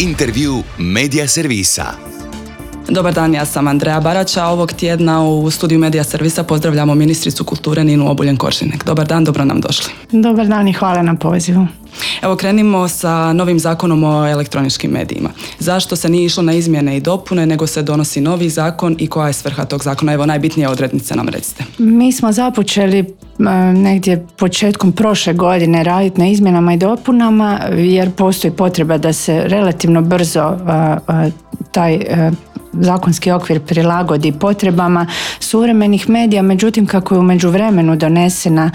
Intervju Medija servisa. Dobar dan, ja sam Andreja Barača. Ovog tjedna u studiju Medija servisa pozdravljamo ministricu kulture Ninu Obuljen-Koržinek. Dobar dan, dobro nam došli. Dobar dan i hvala na pozivu. Evo, krenimo sa novim zakonom o elektroničkim medijima. Zašto se nije išlo na izmjene i dopune, nego se donosi novi zakon i koja je svrha tog zakona? Evo, najbitnije odrednice nam recite. Mi smo započeli negdje početkom prošle godine raditi na izmjenama i dopunama, jer postoji potreba da se relativno brzo taj zakonski okvir prilagodi potrebama suvremenih medija. Međutim, kako je u međuvremenu donesena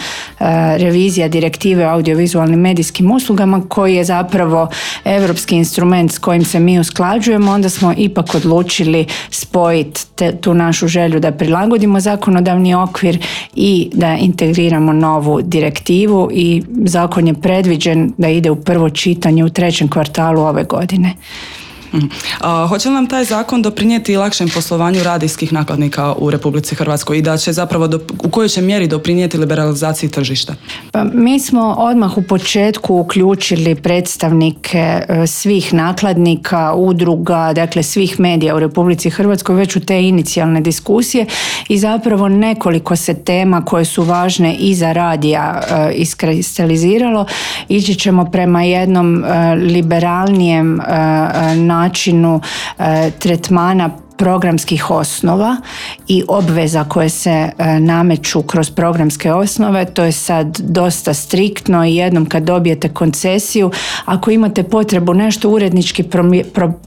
revizija direktive o audiovizualnim medijskim uslugama, koji je zapravo europski instrument s kojim se mi usklađujemo, onda smo ipak odlučili spojiti tu našu želju da prilagodimo zakonodavni okvir i da integriramo novu direktivu, i zakon je predviđen da ide u prvo čitanje u 3. kvartalu ove godine. Hoće li nam taj zakon doprinijeti lakšem poslovanju radijskih nakladnika u Republici Hrvatskoj i da će zapravo u kojoj će mjeri doprinijeti liberalizaciji tržišta? Pa mi smo odmah u početku uključili predstavnike svih nakladnika, udruga, dakle svih medija u Republici Hrvatskoj već u te inicijalne diskusije, i zapravo nekoliko se tema koje su važne i za radija iskristaliziralo. Ići ćemo prema jednom liberalnijem načinu tretmana programskih osnova i obveza koje se nameću kroz programske osnove. To je sad dosta striktno, i jednom kad dobijete koncesiju, ako imate potrebu nešto urednički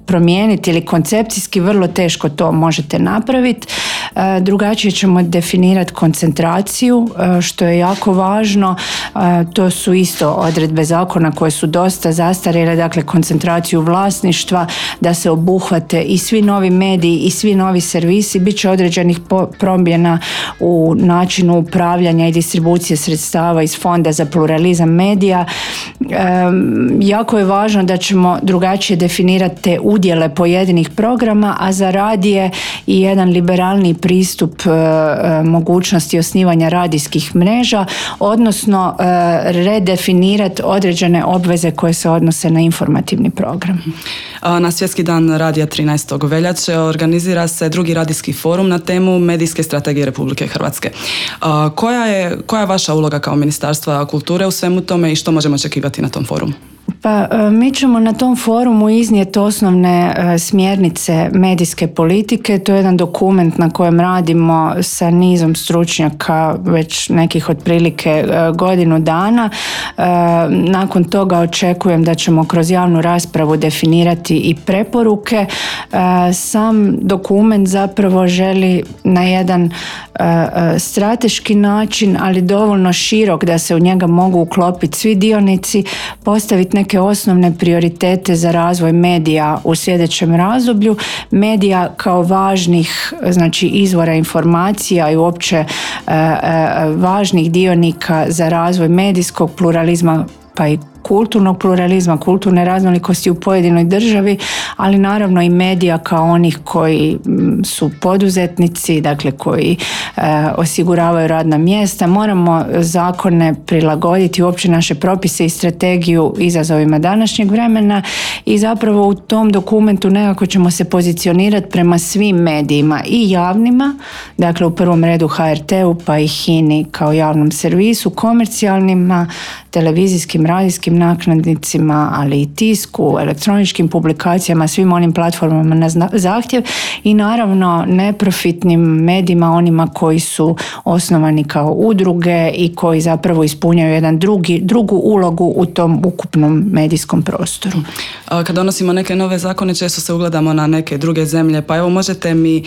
promijeniti ili koncepcijski, vrlo teško to možete napraviti. Drugačije ćemo definirati koncentraciju, što je jako važno. To su isto odredbe zakona koje su dosta zastarjele, dakle koncentraciju vlasništva, da se obuhvate i svi novi mediji i svi novi servisi. Bit će određenih promjena u načinu upravljanja i distribucije sredstava iz Fonda za pluralizam medija. Jako je važno da ćemo drugačije definirati te udjele pojedinih programa, a za radije i jedan liberalni pristup mogućnosti osnivanja radijskih mreža, odnosno redefinirati određene obveze koje se odnose na informativni program. Na Svjetski dan radija 13. veljače organizira se drugi radijski forum na temu medijske strategije Republike Hrvatske. Koja je vaša uloga kao Ministarstva kulture u svemu tome i što možemo očekivati na tom forumu? Pa mi ćemo na tom forumu iznijeti osnovne smjernice medijske politike. To je jedan dokument na kojem radimo sa nizom stručnjaka već nekih otprilike godinu dana. Nakon toga očekujem da ćemo kroz javnu raspravu definirati i preporuke. Sam dokument zapravo želi na jedan strateški način, ali dovoljno širok da se u njega mogu uklopiti svi dionici, postaviti neke osnovne prioritete za razvoj medija u sljedećem razdoblju, medija kao važnih, znači, izvora informacija i uopće važnih dionika za razvoj medijskog pluralizma, pa i kulturnog pluralizma, kulturne raznolikosti u pojedinoj državi, ali naravno i medija kao onih koji su poduzetnici, dakle koji osiguravaju radna mjesta. Moramo zakone prilagoditi, uopće naše propise i strategiju izazovima današnjeg vremena, i zapravo u tom dokumentu nekako ćemo se pozicionirati prema svim medijima i javnima, dakle u prvom redu HRT-u, pa i HINA-i kao javnom servisu, komercijalnima, televizijskim, radijskim nakladnicima, ali i tisku, elektroničkim publikacijama, svim onim platformama na zahtjev, i naravno neprofitnim medijima, onima koji su osnovani kao udruge i koji zapravo ispunjaju jedan drugu ulogu u tom ukupnom medijskom prostoru. Kad donosimo neke nove zakone, često se ugledamo na neke druge zemlje, pa evo, možete mi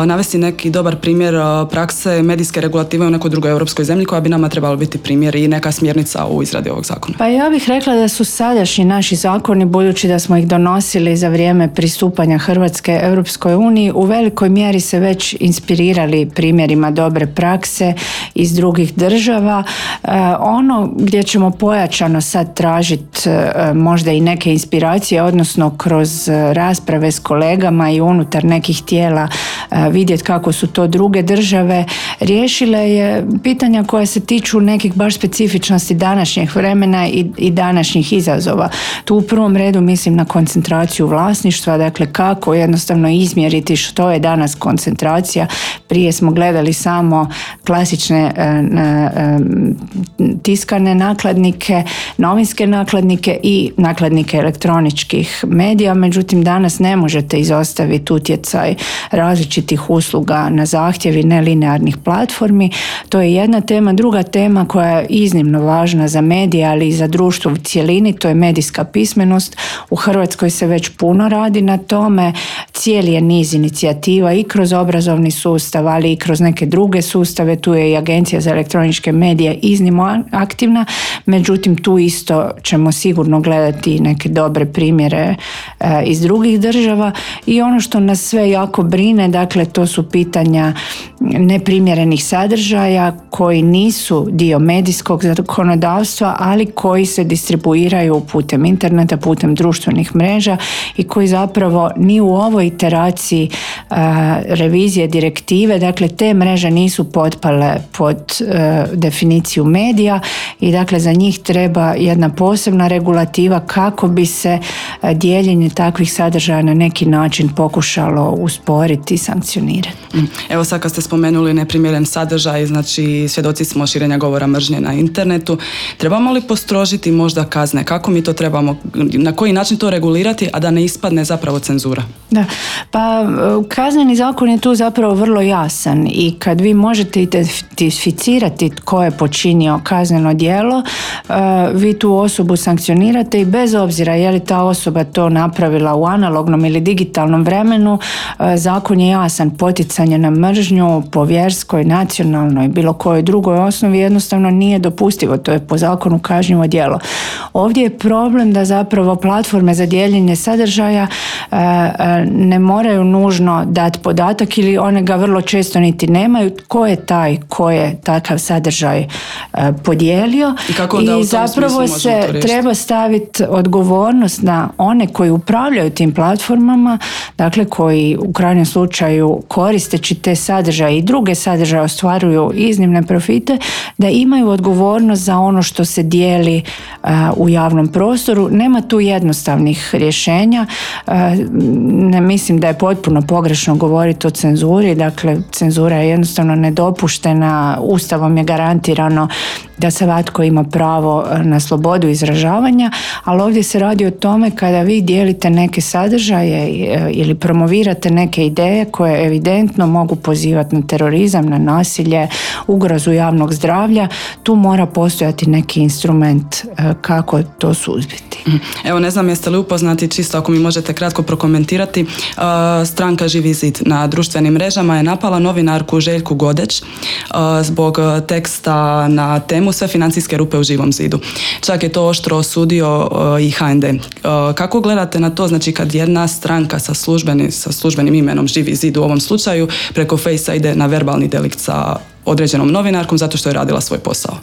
navesti neki dobar primjer prakse medijske regulative u nekoj drugoj europskoj zemlji koja bi nama trebala biti primjer i neka smjernica u izradi ovog zakona? Pa ja bih rekla da su sadašnji naši zakoni, budući da smo ih donosili za vrijeme pristupanja Hrvatske Europskoj uniji, u velikoj mjeri se već inspirirali primjerima dobre prakse iz drugih država. Ono gdje ćemo pojačano sad tražiti možda i neke inspiracije, odnosno kroz rasprave s kolegama i unutar nekih tijela vidjeti kako su to druge države riješile, je pitanja koja se tiču nekih baš specifičnosti današnjeg vremena i i današnjih izazova. Tu u prvom redu mislim na koncentraciju vlasništva, dakle kako jednostavno izmjeriti što je danas koncentracija. Prije smo gledali samo klasične tiskane nakladnike, novinske nakladnike i nakladnike elektroničkih medija, međutim danas ne možete izostaviti utjecaj različitih usluga na zahtjev i nelinearnih platformi. To je jedna tema. Druga tema koja je iznimno važna za medije, ali i za društvo u cjelini, to je medijska pismenost. U Hrvatskoj se već puno radi na tome. Cijeli je niz inicijativa i kroz obrazovni sustav, ali i kroz neke druge sustave. Tu je i Agencija za elektroničke medije iznimno aktivna, međutim tu isto ćemo sigurno gledati neke dobre primjere iz drugih država. I ono što nas sve jako brine, dakle to su pitanja neprimjerenih sadržaja koji nisu dio medijskog zakonodavstva, ali koji se distribuiraju putem interneta, putem društvenih mreža i koji zapravo ni u ovoj iteraciji revizije direktive, dakle te mreže nisu potpale pod definiciju medija i dakle za njih treba jedna posebna regulativa kako bi se dijeljenje takvih sadržaja na neki način pokušalo usporiti i sankcionirati. Evo sad kad ste spomenuli neprimjeren sadržaj, znači svjedoci smo širenja govora mržnje na internetu. Trebamo li postrožiti možda kazne? Kako mi to trebamo, na koji način to regulirati, a da ne ispadne zapravo cenzura? Da, pa kazneni zakon je tu zapravo vrlo jasan i kad vi možete identificirati tko je počinio kazneno djelo, vi tu osobu sankcionirate i bez obzira je li ta osoba to napravila u analognom ili digitalnom vremenu, zakon je jasan. Poticanje na mržnju po vjerskoj, nacionalnoj, bilo kojoj drugoj osnovi jednostavno nije dopustivo. To je po zakonu kažnjivo djelo. Ovdje je problem da zapravo platforme za dijeljenje sadržaja ne moraju nužno dati podatak ili one ga vrlo često niti nemaju tko je taj ko je takav sadržaj podijelio i zapravo se treba staviti odgovornost na one koji upravljaju tim platformama, dakle koji u krajnjem slučaju koristeći te sadržaje i druge sadržaje ostvaruju iznimne profite, da imaju odgovornost za ono što se dijeli u javnom prostoru. Nema tu jednostavnih rješenja. Ne mislim da je potpuno pogrešno govoriti o cenzuri, dakle cenzura je jednostavno nedopuštena, Ustavom je garantirano da svatko ima pravo na slobodu izražavanja, ali ovdje se radi o tome kada vi dijelite neke sadržaje ili promovirate neke ideje koje evidentno mogu pozivati na terorizam, na nasilje, ugrozu javnog zdravlja, tu mora postojati neki instrument kako to suzbiti. Evo, ne znam jeste li upoznati, čisto ako mi možete kratko prokomentirati, stranka Živi zid na društvenim mrežama je napala novinarku Željku Godeć zbog teksta na temu sve financijske rupe u Živom zidu. Čak je to oštro osudio i HND. Kako gledate na to, znači kad jedna stranka sa službenim imenom Živi zid u ovom slučaju preko Fejsa ide na verbalni delikt sa određenom novinarkom zato što je radila svoj posao?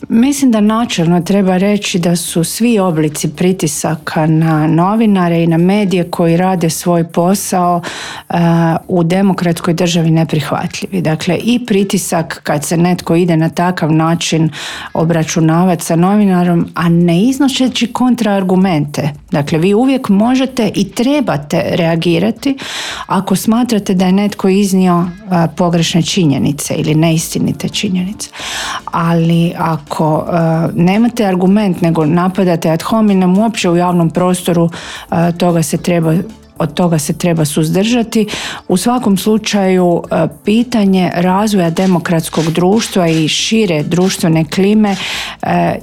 Mislim da načelno treba reći da su svi oblici pritisaka na novinare i na medije koji rade svoj posao u demokratskoj državi neprihvatljivi. Dakle, i pritisak kad se netko ide na takav način obračunavati sa novinarom, a ne iznošeći kontraargumente. Dakle, vi uvijek možete i trebate reagirati ako smatrate da je netko iznio pogrešne činjenice ili neistinite činjenice. Ali ako nemate argument nego napadate ad hominem uopće u javnom prostoru, od toga se treba suzdržati. U svakom slučaju pitanje razvoja demokratskog društva i šire društvene klime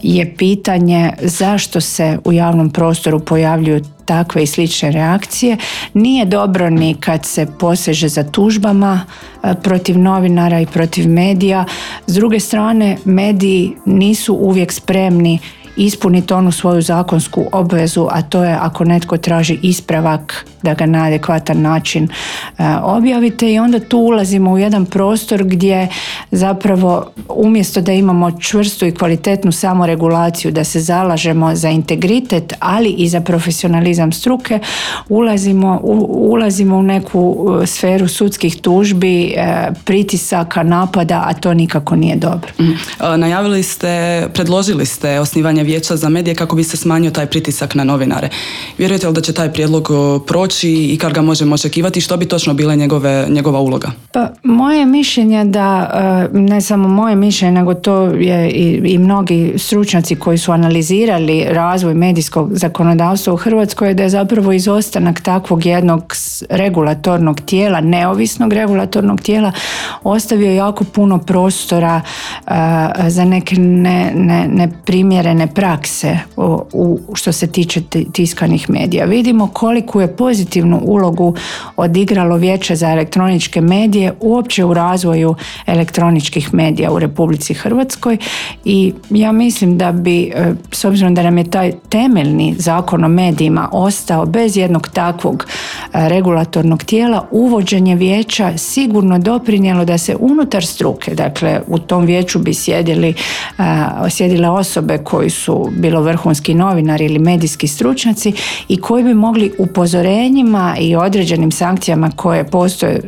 je pitanje zašto se u javnom prostoru pojavljuju takve i slične reakcije. Nije dobro ni kad se poseže za tužbama protiv novinara i protiv medija. S druge strane, mediji nisu uvijek spremni ispuniti onu svoju zakonsku obvezu, a to je ako netko traži ispravak da ga na adekvatan način objavite i onda tu ulazimo u jedan prostor gdje zapravo umjesto da imamo čvrstu i kvalitetnu samoregulaciju, da se zalažemo za integritet, ali i za profesionalizam struke, ulazimo u neku sferu sudskih tužbi, pritisaka, napada, a to nikako nije dobro. Predložili ste osnivanje vijeća za medije kako bi se smanjio taj pritisak na novinare. Vjerujete li da će taj prijedlog proći i kad ga možemo očekivati? Što bi točno bila njegova uloga? Pa moje mišljenje da, ne samo moje mišljenje, nego to je i mnogi stručnjaci koji su analizirali razvoj medijskog zakonodavstva u Hrvatskoj, da je zapravo izostanak takvog jednog regulatornog tijela, neovisnog regulatornog tijela, ostavio jako puno prostora za neke neprimjerene prakse što se tiče tiskanih medija. Vidimo koliku je pozitivnu ulogu odigralo Vijeće za elektroničke medije uopće u razvoju elektroničkih medija u Republici Hrvatskoj i ja mislim da bi, s obzirom da nam je taj temeljni zakon o medijima ostao bez jednog takvog regulatornog tijela, uvođenje vijeća sigurno doprinijelo da se unutar struke, dakle u tom vijeću bi sjedile osobe koji su bilo vrhunski novinari ili medijski stručnjaci i koji bi mogli upozorenjima i određenim sankcijama koje postoje,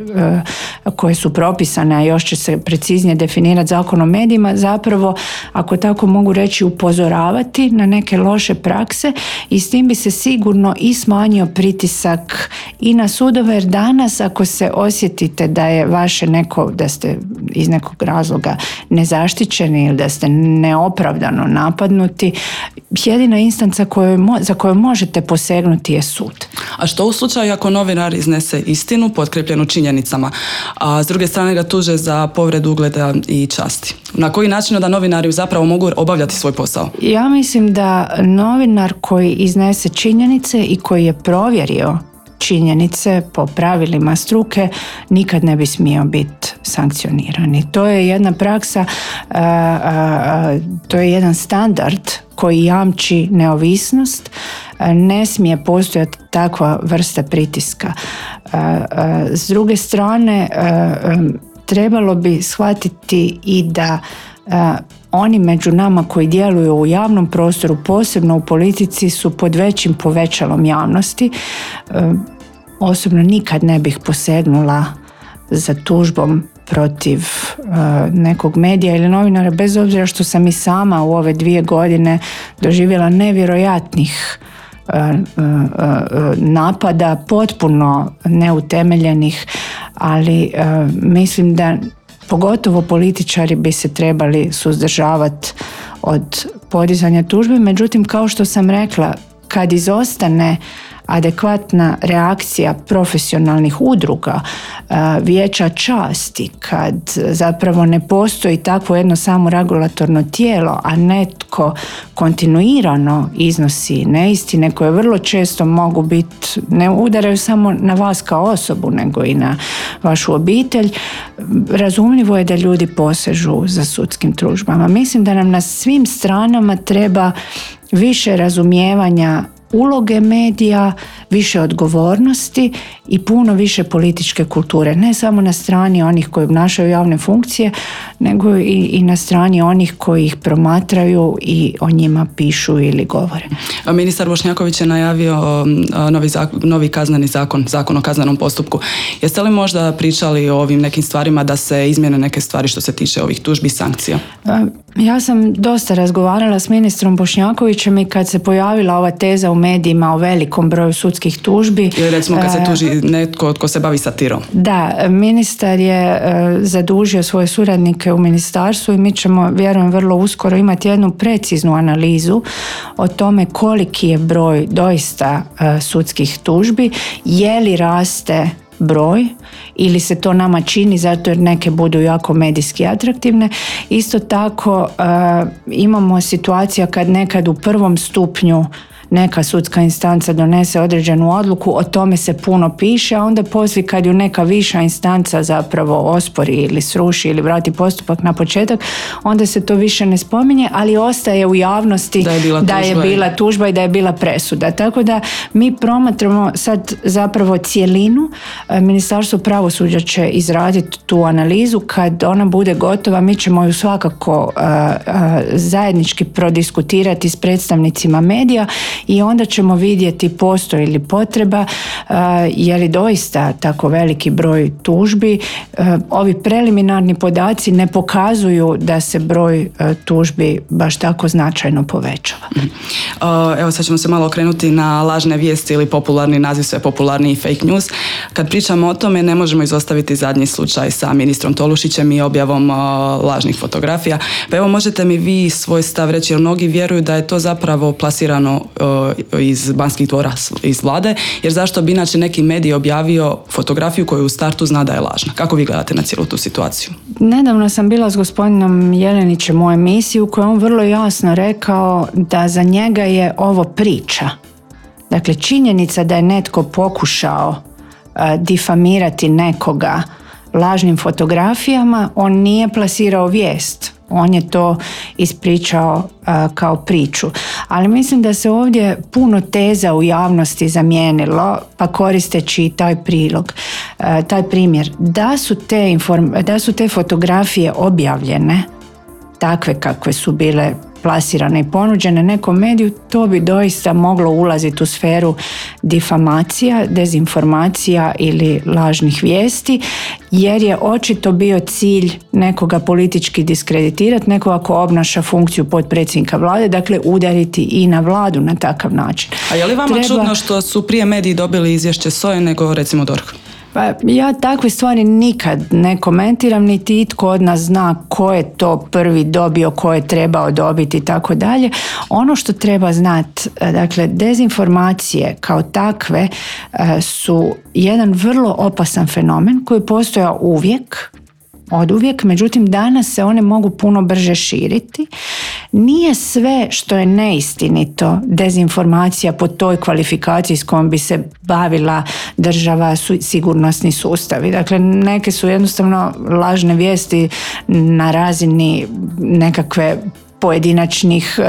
koje su propisane, a još će se preciznije definirati zakon o medijima, zapravo, ako tako mogu reći, upozoravati na neke loše prakse i s tim bi se sigurno i smanjio pritisak i na sudove, jer danas ako se osjetite da je vaše da ste iz nekog razloga nezaštićeni ili da ste neopravdano napadnuti, jedina instanca za koju možete posegnuti je sud. A što u slučaju ako novinar iznese istinu potkrepljenu činjenicama, a s druge strane ga tuže za povredu ugleda i časti? Na koji način da novinari zapravo mogu obavljati svoj posao? Ja mislim da novinar koji iznese činjenice i koji je provjerio činjenice po pravilima struke nikad ne bi smio biti sankcioniran. To je jedna praksa, to je jedan standard koji jamči neovisnost. Ne smije postojati takva vrsta pritiska. S druge strane, trebalo bi shvatiti i da oni među nama koji djeluju u javnom prostoru, posebno u politici, su pod većim povećalom javnosti. Osobno nikad ne bih posegnula za tužbom protiv nekog medija ili novinara, bez obzira što sam i sama u ove 2 godine doživjela nevjerojatnih napada, potpuno neutemeljenih, ali mislim da pogotovo političari bi se trebali suzdržavati od podizanja tužbe. Međutim, kao što sam rekla, kad izostane adekvatna reakcija profesionalnih udruga, vijeća časti, kad zapravo ne postoji takvo jedno samo regulatorno tijelo, a netko kontinuirano iznosi neistine koje vrlo često mogu biti, ne udaraju samo na vas kao osobu, nego i na vašu obitelj, razumljivo je da ljudi posežu za sudskim tužbama. Mislim da nam na svim stranama treba više razumijevanja uloge medija, više odgovornosti i puno više političke kulture. Ne samo na strani onih koji obnašaju javne funkcije, nego i na strani onih koji ih promatraju i o njima pišu ili govore. Ministar Bošnjaković je najavio novi kazneni zakon o kaznenom postupku. Jeste li možda pričali o ovim nekim stvarima da se izmjene neke stvari što se tiče ovih tužbi i sankcija? Ja sam dosta razgovarala s ministrom Bošnjakovićem i kad se pojavila ova teza u medijima o velikom broju sudskih tužbi. Ili recimo kad se tuži netko tko se bavi satirom. Da, ministar je zadužio svoje suradnike u ministarstvu i mi ćemo, vjerujem, vrlo uskoro imati jednu preciznu analizu o tome koliki je broj doista sudskih tužbi, je li raste broj ili se to nama čini zato jer neke budu jako medijski atraktivne. Isto tako imamo situacija kad nekad u prvom stupnju neka sudska instanca donese određenu odluku, o tome se puno piše, a onda poslije kad ju neka viša instanca zapravo ospori ili sruši ili vrati postupak na početak, onda se to više ne spominje, ali ostaje u javnosti da je bila tužba i da je bila presuda. Tako da mi promatramo sad zapravo cjelinu. Ministarstvo pravosuđa će izraditi tu analizu. Kad ona bude gotova, mi ćemo ju svakako zajednički prodiskutirati s predstavnicima medija i onda ćemo vidjeti postoji li potreba, je li doista tako veliki broj tužbi. Ovi preliminarni podaci ne pokazuju da se broj tužbi baš tako značajno povećava. Evo sad ćemo se malo okrenuti na lažne vijesti ili popularni naziv, sve popularniji fake news. Kad pričamo o tome ne možemo izostaviti zadnji slučaj sa ministrom Tolušićem i objavom lažnih fotografija. Pa evo možete mi vi svoj stav reći, jer mnogi vjeruju da je to zapravo plasirano iz Banskih dvora, iz vlade, jer zašto bi inače neki medij objavio fotografiju koju u startu zna da je lažna? Kako vi gledate na cijelu tu situaciju? Nedavno sam bila s gospodinom Jelenićem u emisiji u kojoj on vrlo jasno rekao da za njega je ovo priča. Dakle, činjenica da je netko pokušao difamirati nekoga lažnim fotografijama, on nije plasirao vijest. On je to ispričao kao priču. Ali mislim da se ovdje puno teza u javnosti zamijenilo, pa koristeći taj prilog, taj primjer. Da su te fotografije objavljene, takve kakve su bile plasirane i ponuđene nekom mediju, to bi doista moglo ulaziti u sferu difamacija, dezinformacija ili lažnih vijesti, jer je očito bio cilj nekoga politički diskreditirati, nekoga ko obnaša funkciju potpredsjednika vlade, dakle udariti i na vladu na takav način. A je li vama čudno što su prije mediji dobili izvješće SOA-e nego recimo DORH? Pa ja takve stvari nikad ne komentiram, niti itko od nas zna ko je to prvi dobio, ko je trebao dobiti i tako dalje. Ono što treba znati, dakle, dezinformacije kao takve su jedan vrlo opasan fenomen koji postoja oduvijek, međutim danas se one mogu puno brže širiti. Nije sve što je neistinito dezinformacija po toj kvalifikaciji s kojom bi se bavila država, sigurnosni sustavi. Dakle, neke su jednostavno lažne vijesti na razini nekakve pojedinačnih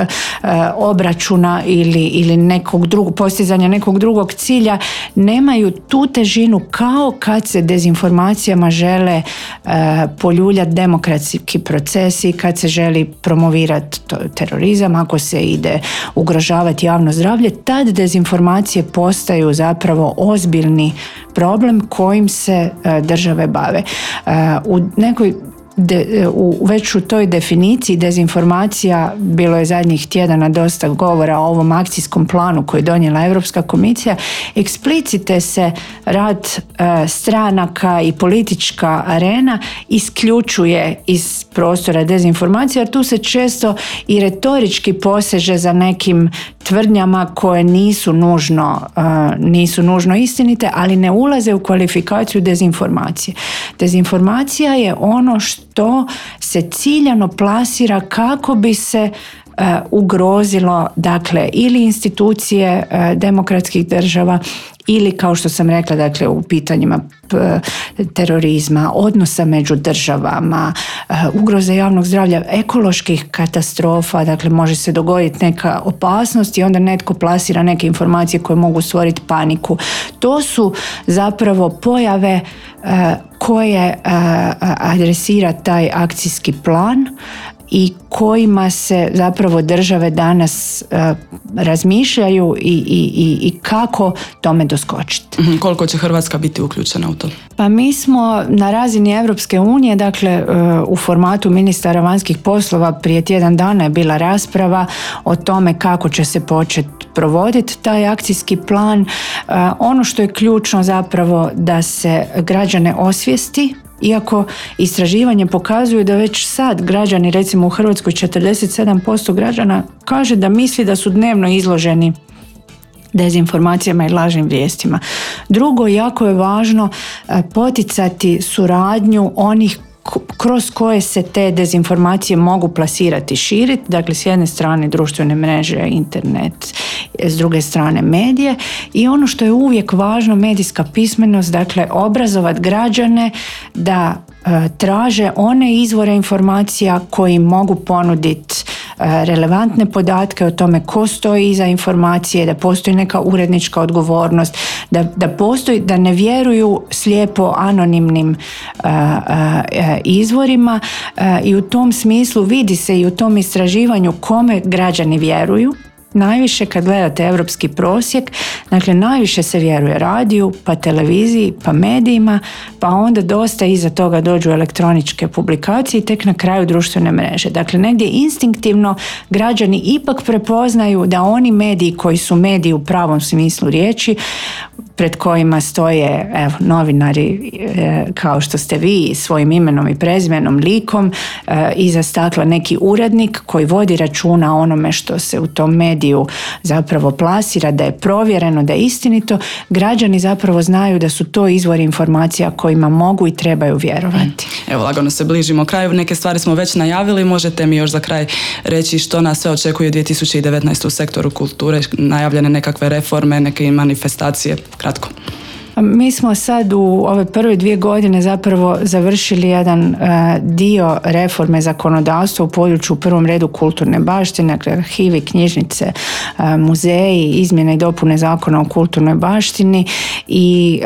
obračuna ili nekog drugog, postizanja nekog drugog cilja, nemaju tu težinu kao kad se dezinformacijama žele poljuljati demokratski procesi, kad se želi promovirati terorizam, ako se ide ugrožavati javno zdravlje, tad dezinformacije postaju zapravo ozbiljni problem kojim se države bave. U nekoj već u toj definiciji dezinformacija bilo je zadnjih tjedana dosta govora o ovom akcijskom planu koji je donijela Europska komisija. Eksplicite se rad stranaka i politička arena isključuje iz prostora dezinformacija, jer tu se često i retorički poseže za nekim tvrdnjama koje nisu nužno istinite, ali ne ulaze u kvalifikaciju dezinformacije. Dezinformacija je ono što se ciljano plasira kako bi se ugrozilo, dakle, ili institucije demokratskih država ili, kao što sam rekla, dakle, u pitanjima terorizma, odnosa među državama, ugroze javnog zdravlja, ekoloških katastrofa, dakle može se dogoditi neka opasnost i onda netko plasira neke informacije koje mogu stvoriti paniku. To su zapravo pojave koje adresira taj akcijski plan i kojima se zapravo države danas razmišljaju i kako tome doskočiti. Koliko će Hrvatska biti uključena u to? Pa mi smo na razini Europske unije, dakle u formatu ministara vanjskih poslova prije tjedan dana je bila rasprava o tome kako će se početi provoditi taj akcijski plan. Ono što je ključno zapravo da se građane osvijesti, iako istraživanje pokazuje da već sad građani, recimo u Hrvatskoj 47% građana kaže da misli da su dnevno izloženi dezinformacijama i lažnim vijestima. Drugo, jako je važno poticati suradnju onih kroz koje se te dezinformacije mogu plasirati i širiti, dakle s jedne strane društvene mreže, internet, s druge strane medije, i ono što je uvijek važno, medijska pismenost, dakle obrazovati građane da traže one izvore informacija koji mogu ponuditi relevantne podatke o tome ko stoji iza informacije, da postoji neka urednička odgovornost, da postoji, da ne vjeruju slijepo anonimnim izvorima, i u tom smislu vidi se i u tom istraživanju kome građani vjeruju. najviše kad gledate europski prosjek, dakle najviše se vjeruje radiju, pa televiziji, pa medijima, pa onda dosta iza toga dođu elektroničke publikacije i tek na kraju društvene mreže. Dakle, negdje instinktivno građani ipak prepoznaju da oni mediji koji su mediji u pravom smislu riječi, pred kojima stoje novinari kao što ste vi svojim imenom i prezimenom, likom, iza stakla neki urednik koji vodi računa o onome što se u tom mediju zapravo plasira, da je provjereno, da je istinito, građani zapravo znaju da su to izvori informacija kojima mogu i trebaju vjerovati. Evo, lagano se bližimo kraju, neke stvari smo već najavili, možete mi još za kraj reći što nas sve očekuje 2019. u sektoru kulture, najavljene nekakve reforme, neke manifestacije, kratko. Mi smo sad u ove prve 2 godine zapravo završili jedan dio reforme zakonodavstva u području u prvom redu kulturne baštine, dakle arhivi, knjižnice, muzeji, izmjene i dopune zakona o kulturnoj baštini i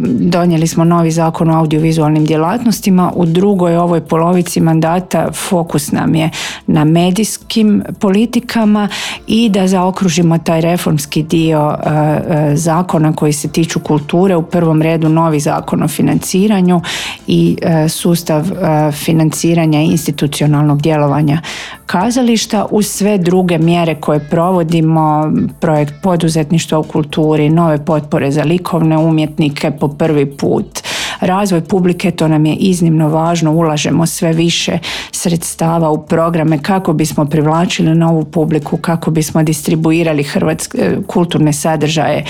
donijeli smo novi zakon o audiovizualnim djelatnostima. U drugoj ovoj polovici mandata fokus nam je na medijskim politikama i da zaokružimo taj reformski dio zakona koji se tiču kulture, u prvom redu novi zakon o financiranju i sustav financiranja institucionalnog djelovanja kazališta uz sve druge mjere koje provodimo, projekt poduzetništva u kulturi, nove potpore za likovne umjetnike po prvi put, razvoj publike, to nam je iznimno važno, ulažemo sve više sredstava u programe kako bismo privlačili novu publiku, kako bismo distribuirali kulturne sadržaje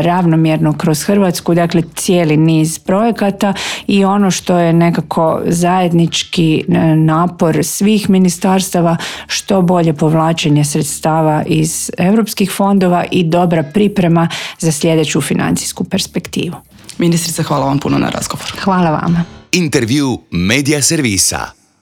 ravnomjerno kroz Hrvatsku, dakle cijeli niz projekata i ono što je nekako zajednički napor svih ministarstava, što bolje povlačenje sredstava iz europskih fondova i dobra priprema za sljedeću financijsku perspektivu. Ministrice, hvala vam puno na razgovor. Hvala vama. Intervju Media Servisa.